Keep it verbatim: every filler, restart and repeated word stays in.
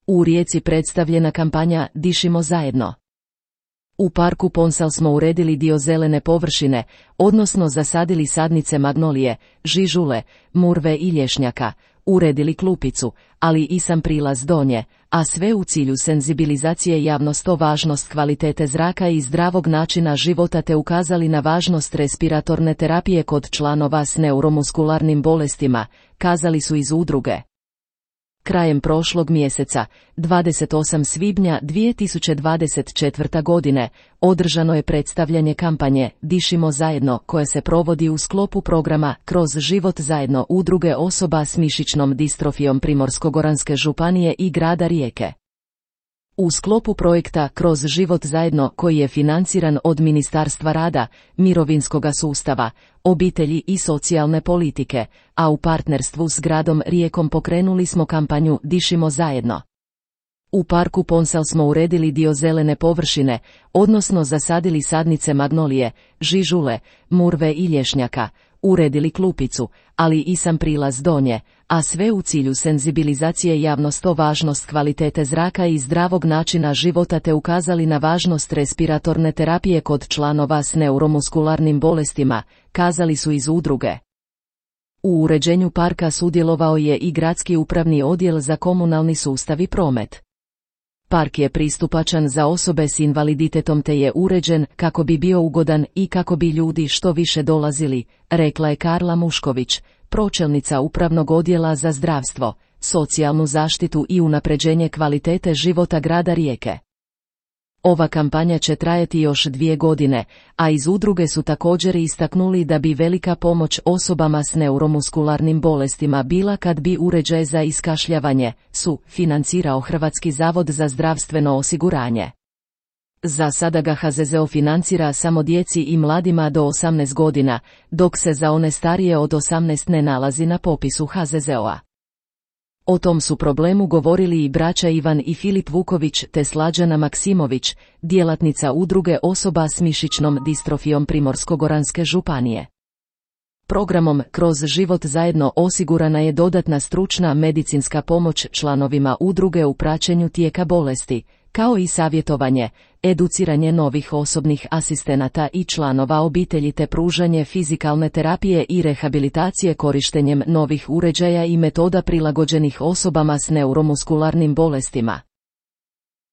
U Rijeci predstavljena kampanja Dišimo zajedno. U parku Ponsal smo uredili dio zelene površine, odnosno zasadili sadnice magnolije, žižule, murve i lješnjaka, uredili klupicu, ali i sam prilaz do nje, a sve u cilju senzibilizacije javnosti o važnost kvalitete zraka i zdravog načina života te ukazali na važnost respiratorne terapije kod članova s neuromuskularnim bolestima, kazali su iz udruge. Krajem prošlog mjeseca, dvadeset osmog svibnja dvije tisuće dvadeset četvrte. godine, održano je predstavljanje kampanje Dišimo zajedno koje se provodi u sklopu programa Kroz život zajedno udruge osoba s mišićnom distrofijom Primorsko-goranske županije i grada Rijeke. U sklopu projekta Kroz život zajedno koji je financiran od Ministarstva rada, mirovinskoga sustava, obitelji i socijalne politike, a u partnerstvu s gradom Rijekom pokrenuli smo kampanju Dišimo zajedno. U parku Ponsal smo uredili dio zelene površine, odnosno zasadili sadnice magnolije, žižule, murve i lješnjaka, uredili klupicu, ali i sam prilaz do nje, a sve u cilju senzibilizacije javnosti o važnost kvalitete zraka i zdravog načina života te ukazali na važnost respiratorne terapije kod članova s neuromuskularnim bolestima, kazali su iz udruge. U uređenju parka sudjelovao je i Gradski upravni odjel za komunalni sustav i promet. Park je pristupačan za osobe s invaliditetom te je uređen kako bi bio ugodan i kako bi ljudi što više dolazili, rekla je Karla Mušković, pročelnica Upravnog odjela za zdravstvo, socijalnu zaštitu i unapređenje kvalitete života grada Rijeke. Ova kampanja će trajati još dvije godine, a iz udruge su također istaknuli da bi velika pomoć osobama s neuromuskularnim bolestima bila kad bi uređaj za iskašljavanje su financirao Hrvatski zavod za zdravstveno osiguranje. Za sada ga H Z Z O financira samo djeci i mladima do osamnaest godina, dok se za one starije od osamnaest ne nalazi na popisu H Z Z O-a. O tom su problemu govorili i braća Ivan i Filip Vuković te Slađana Maksimović, djelatnica udruge osoba s mišićnom distrofijom Primorsko-goranske županije. Programom Kroz život zajedno osigurana je dodatna stručna medicinska pomoć članovima udruge u praćenju tijeka bolesti, kao i savjetovanje, educiranje novih osobnih asistenata i članova obitelji te pružanje fizikalne terapije i rehabilitacije korištenjem novih uređaja i metoda prilagođenih osobama s neuromuskularnim bolestima.